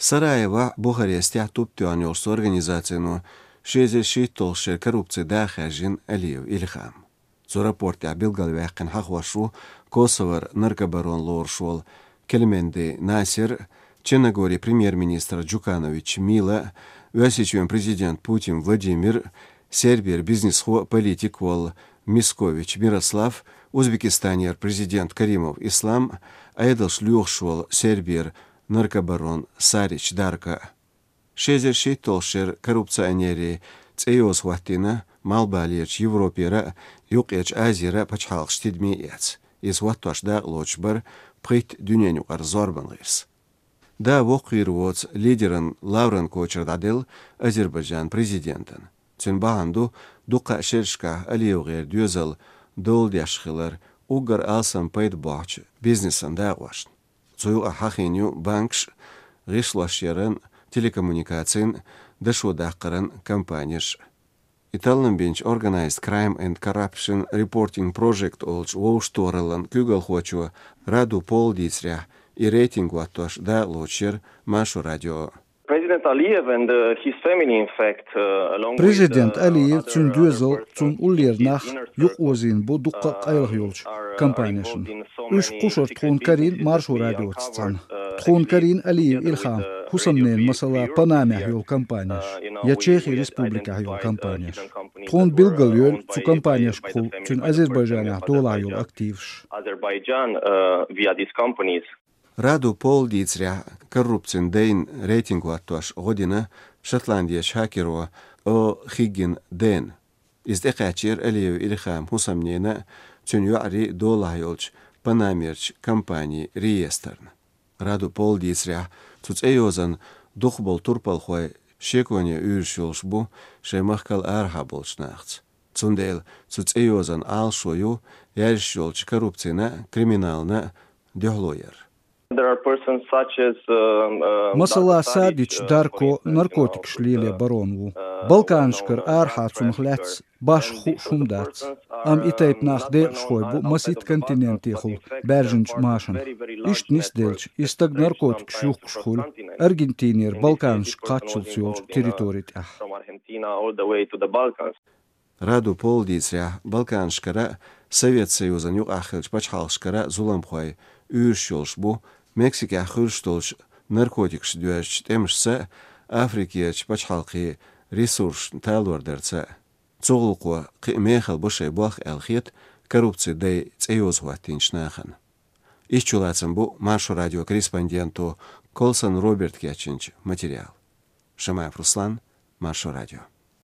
Sarajevo Buharestya tuptüanyolsu organizasyonu 66 korrupsiya daxajin Aliyev İlham. Zo raportya bilgalväkin haqwaşu Kosovar narkobaron lorşol Kelmendi Nasir, Черногория премьер-министр Джуканович Мила, Васичевен президент Путин Владимир, Сербия бизнес-хо политик вол Мискович Мирослав, Узбекистанер президент Каримов Ислам, Айдалш Люхшвол Сербия наркобарон Сарич Дарка. 66 коррупционери цеёс хватина Малбалиеч Европера юқеч Азира пачхалш тидмеец. Из ватташда лочбар прит дюненю арзорбангирс. Да вокирвоц лидерен Лаврен Кочардадел Азербайджан президентен. Цюнбаанду дуқа шершка Алиевгер дюзел долдяшхилар угар алсан пайдбач бизнесен дагвашн. Цую ахахиню банкш гишлашерен телекоммуникацин дашудаққаран компанияш. Italian bench organized crime and corruption reporting project olch Wowstorlan Kugelhochu Radu Polditsrya и рейтингу аттош да лучер Машу радио. President Aliyev tün düzel tün ullernach yuq ozin bu duqqa qayıq yolç kampaniyasın. Üç quşor txun karin Marshu radio tsan. Txun karin Aliyev İlham Husamnen masala Panamah yol kampaniyas. Ya Çexi Respublika yol kampaniyas. Txun bilgal yol tsu kampaniyas qul tün Azerbaycanah dolar yol aktivş. Azerbaijan via these companies. Раду Полдицря коррупцин дейн рейтингу аттош година Шотландия Шакирова о Хиггин ден. Издекачер Алиев Илхам Хусамнена Цюньюари Долайолч Панамерч компании реестрн. Раду Полдицря Цуцеозан Духбол Турпалхой Шеконе Юршулшбу Шемахкал Архаболчнахц. Цундел Цуцеозан Алшою Яршулч коррупцина криминална дёглоер. Masala Sadic Darko narkotik şliyle baronvu. Balkanşkar arhatsumh lets baş şumdats. Am itayp naxde şoybu masit kontinentihul berjinç maşan. İşt nisdelç istag narkotik şuqşhul Argentinier Balkanş qaçılç yolç teritorit ah. Раду Полдицря Балканшкара Совет Союзан юq ахилч пачхалшкара зуламхой Ürşolşbu Meksika xürştolş narkotikş düəş temşsə Afrikiyaç paçhalqi resurs talordersə. Çoğulqo qimexal boşay bax elxit korrupsiya day çeyoz vatinçnaxan. İşçulatsın bu Marshu radio korrespondentu Kolson Robert Kyaçinç material. Шамаев Руслан, Машу радио.